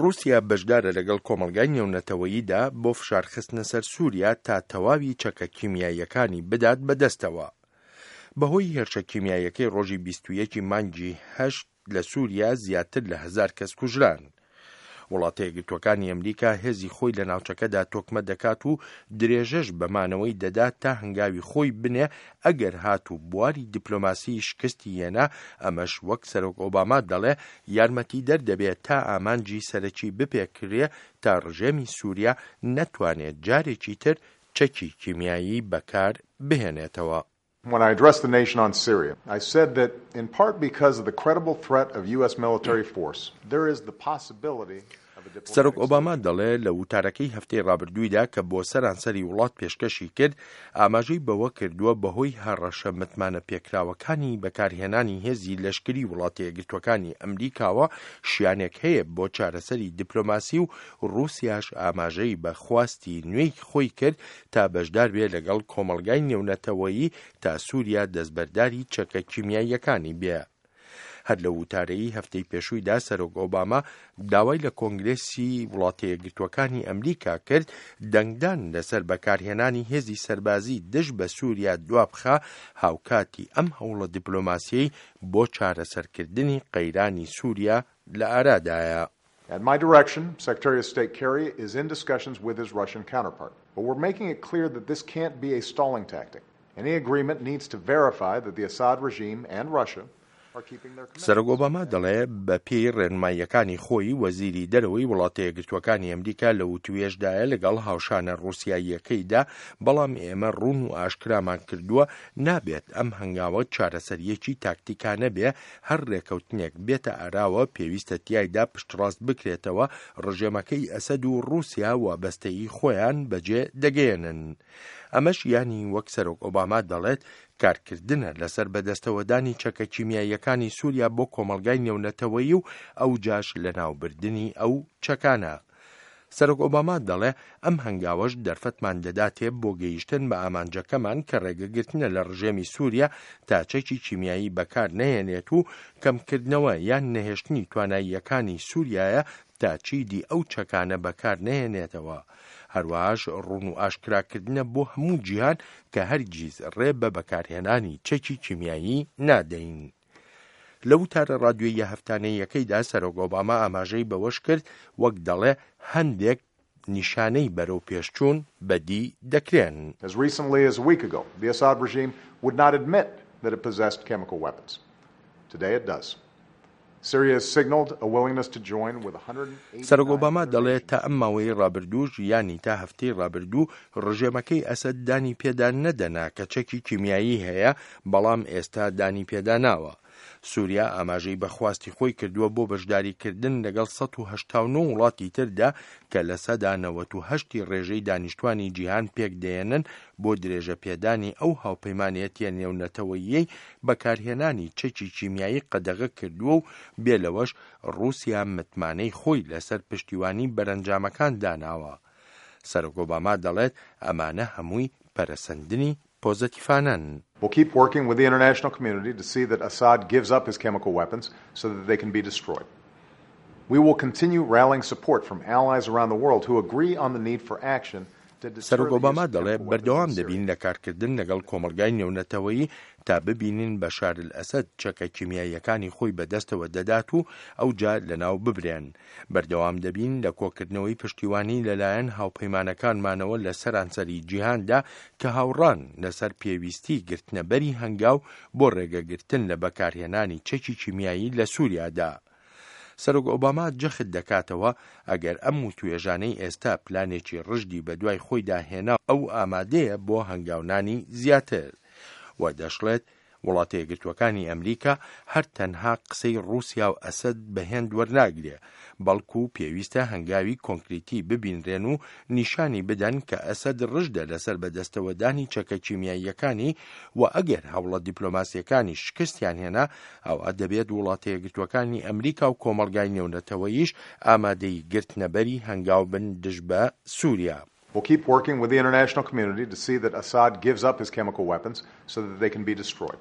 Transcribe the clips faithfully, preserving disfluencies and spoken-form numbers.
ڕووسیا بەشدارە لەگەڵ کۆمەڵگای نێونەتەوەییدا بۆ فشارخستنە سەر سووریا تا تەواوی چەکە کیمیاییەکانی بدات بەدەستەوە. بەهۆی هێرشە کیمیاییەکەی ڕۆژی بیست و یەکی مانگی هەشت لە سووریا زیاتر لە هەزار کەس کوژران. وڵاتە یەکگرتووەکانی ئەمریکا هێزی خۆی لە ناوچەکەدا تۆکمە دەکات و درێژەش بەمانەوەی دەدات تا هەنگاوی خۆی بنێ ئەگەر هاتوو بواری دیپلۆماسی شکستی هێنا، ئەمەش وەک سەرۆک ئۆباما دەڵێ یارمەتی دەردەبێت تا ئامانجی سەرەکی بپێکرێ تا ڕژێمی سووریا نەتوانێت جارێکی تر چەکی کیمیایی بەکار بهێنێتەوە. When I addressed the nation on Syria, I said that in part because of the credible threat of U S military force, there is the possibility of a diplomatic سەرۆک ئۆباما دەڵێ لە وتارەکەی هەفتەی ڕابردوویدا کە بۆ سەرانسەری وڵات پێشکەشی کرد، ئاماژەی بەوە کردووە بەهۆی هەڕەشە متمانە پێکراوەکانی بەکارهێنانی هێزی لەشکری وڵاتە یەکگرتووەکانی ئەمریکاوە شیانێک هەیە بۆ چارەسەری دیپلۆماسی و ڕووسیاش ئاماژەی بە خواستی نوێی خۆی کرد تا بەشدار بێ لەگەڵ کۆمەڵگای نێونەتەوەیی تا سووریا دەستبەرداری چەکە کیمیاییەکانی بێ. هەر لە وتارەی هەفتەی پێشوویدا سەرۆک ئۆباما داوای لە کۆنگرێسی وڵاتە یەکگرتووەکانی ئەمریکا کرد دەنگدان لەسەر بەکارهێنانی هێزی سەربازی دژ بە سووریا دوابخا، هاوکاتی ئەم هەوڵە دیپلۆماسیەی بۆ چارەسەرکردنی قەیرانی سووریا لە ئارادایە. At my direction, Secretary of State Kerry is in discussions with his Russian counterpart. But we're making it clear that this can't be a stalling tactic. Any agreement needs to verify that the Assad regime and Russia are keeping their سەرۆک commitments. ئۆباما دەڵێ بە پێی ڕێنماییەکانی خۆی، وەزیری دەرەوەی وڵاتە یەکگرتووەکانی ئەمریکا لە وتوێژدایە لەگەڵ هاوشانە ڕووسیاییەکەیدا، بەڵام ئێمە ڕوون و ئاشکرامان کردووە نابێت ئەم هەنگاوە چارەسەریەکی تاکتیکانە بێ. هەر ڕێکەوتنێک بێتە ئاراوە پێویستە تیایدا پشتڕاست بکرێتەوە ڕژێمەکەی ئەسەد و ڕووسیا وابەستەیی خۆیان بەجێ دەگەیەنن. ئەمەش یانی وەک سەرۆک ئۆباما دەڵێت کارکردنە لەسەر بەدەستەوەدانی چەکە کیمیاییەکانی سووریا بۆ کۆمەڵگای نێونەتەوەیی و ئەو جاش لەناوبردنی ئەو چەکانە. سەرۆک ئۆباما دەڵێ ئەم هەنگاوەش دەرفەتمان دەداتێ بۆ گەیشتن بە ئامانجەکەمان کە ڕێگەگرتنە لە ڕژێمی سووریا تا چەکی کیمیایی بەکار نەهێنێت و کەمکردنەوە یان نەهێشتنی تواناییەکانی سووریایە تا چیدی ئەو چەکانە بەکار نەهێنێتەوە. هەروەهاش ڕوون و ئاشکراکردنە بۆ هەموو جیهان کە هەرگیز ڕێ بە بەکارهێنانی چەکی کیمیایی نادەین. لە وتارە ڕادیۆییە هەفتانەیەکەیدا سەرۆک ئۆباما ئاماژەی بەوەش کرد وەک دەڵێ هەندێک نیشانەی بەرەو پێشچوون بەدی دەکرێن. As recently as a week ago, the Assad regime would not admit that it possessed chemical weapons. Today it does. Syria has signaled a willingness to join with سەرۆک one hundred eighty-nine ئۆباما other دەڵێ nations. تا ئەم ماوەی ڕابردووش، یانی تا هەفتەی ڕابردوو، ڕژێمەکەی ئەسەد دانی پێدا نەدەنا کە چەکی کیمیایی هەیە، بەڵام ئێستا دانی پێدا ناوە. سووریا ئاماژەی بە خواستی خۆی کردووە بۆ بەشداریکردن لەگەڵ سەد و هەشتا و نۆ وڵاتی تردا کە لە سەدا نەوەت و هەشتی ڕێژەی دانیشتوانی جیهان پێک دەیەنن بۆ درێژە پێدانی ئەو هاوپەیمانێتیە نێونەتەوەییەی بەکارهێنانی چەکی کیمیایی قەدەغە کردووە و بێ لەوەش ڕووسیا متمانەی خۆی لەسەر پشتیوانی بەرەنجامەکان داناوە. سەرۆک ئۆباما دەڵێت ئەمانە هەمووی پەرەسەندنی پۆزەتیفانەن. We'll keep working with the international community to see that Assad gives up his chemical weapons so that they can be destroyed. We will continue rallying support from allies around the world who agree on the need for action to deter سەرۆک the use ئۆباما of دەڵێ chemical weapons in بەردەوام Syria. دەبین لە کارکردن لەگەڵ کۆمەلگای نێونەتەوەیی تا ببینین بەشار ئەسەد چەکە کیمیاییەکانی خۆی بەدەستەوە دەدات و ئەو جار لەناو ببرێن. بەردەوام دەبین لە کۆکردنەوەی پشتیوانی لەلایەن هاوپەیمانەکانمانەوە لە سەرانسەری جیهاندا کە هاوڕان لەسەر پێویستی گرتنەبەری هەنگاو بۆ ڕێگەگرتن لە بەکارهێنانی چەکی کیمیایی لە سووریادا. سەرۆک ئۆباما جەخت دەکاتەوە ئەگەر ئەم وتوێژانەی ئێستا پلانێکی ڕژدی بەدوای خۆیدا هێنا، ئەو ئامادەیە بۆ هەنگاونانی زیاتر. و دەشڵێت وڵاتە یەکگرتووەکانی ئەمریکا هەر تەنها قسەی ڕووسیا و ئەسەد بە هێند وەرناگرێ، بەڵکو پێویستە هەنگاوی کۆنکریتی ببینرێن و نیشانی بدەن کە ئەسەد ڕژدە لەسەر بەدەستەوەدانی چەکە کیمیاییەکانی و ئەگەر هەوڵە دیپلۆماسیەکانی شکستیان هێنا، ئەوە دەبێت وڵاتە یەکگرتووەکانی ئەمریکا و کۆمەلگای نێونەتەوەیش ئامادەی گرتنەبەری هەنگاو بن دژ بە سووریا. We'll keep working with the international community to see that Assad gives up his chemical weapons so that they can be destroyed.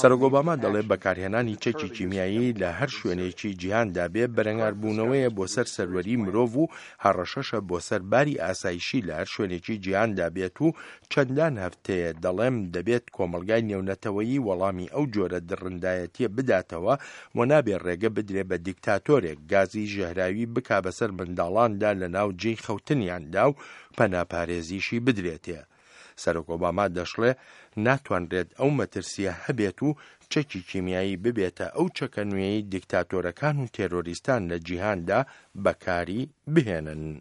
سەرۆک ئۆباما دەڵێ بەکارهێنانی چەکی کیمیایی لە هەر شوێنێکی جیهاندا بێ بەرەنگاربوونەوەیە بۆ سەر سەروەری مرۆڤ و هەڕەشەشە بۆ سەر باری ئاسایشی لە هەر شوێنێکی جیهاندا بێت و چەندان هەفتەیە دەڵێم دەبێت کۆمەڵگای نێونەتەوەیی وەڵامی ئەو جۆرە دڕندایەتیە بداتەوە و نابێ ڕێگە بدرێ بە دیکتاتۆرێک گازی ژەهراوی بکا بەسەر منداڵاندا لە ناو جێی خەوتنیاندا و پەناپارێزیشی بدرێتێ. سەرۆک ئۆباما دەشڵێ ناتوانرێت ئەو مەترسیە هەبێت و چەکی کیمیایی ببێتە ئەو چەکە نوێی دیکتاتۆرەکان و تێرۆریستان لە جیهاندا بەکاری بهێنن.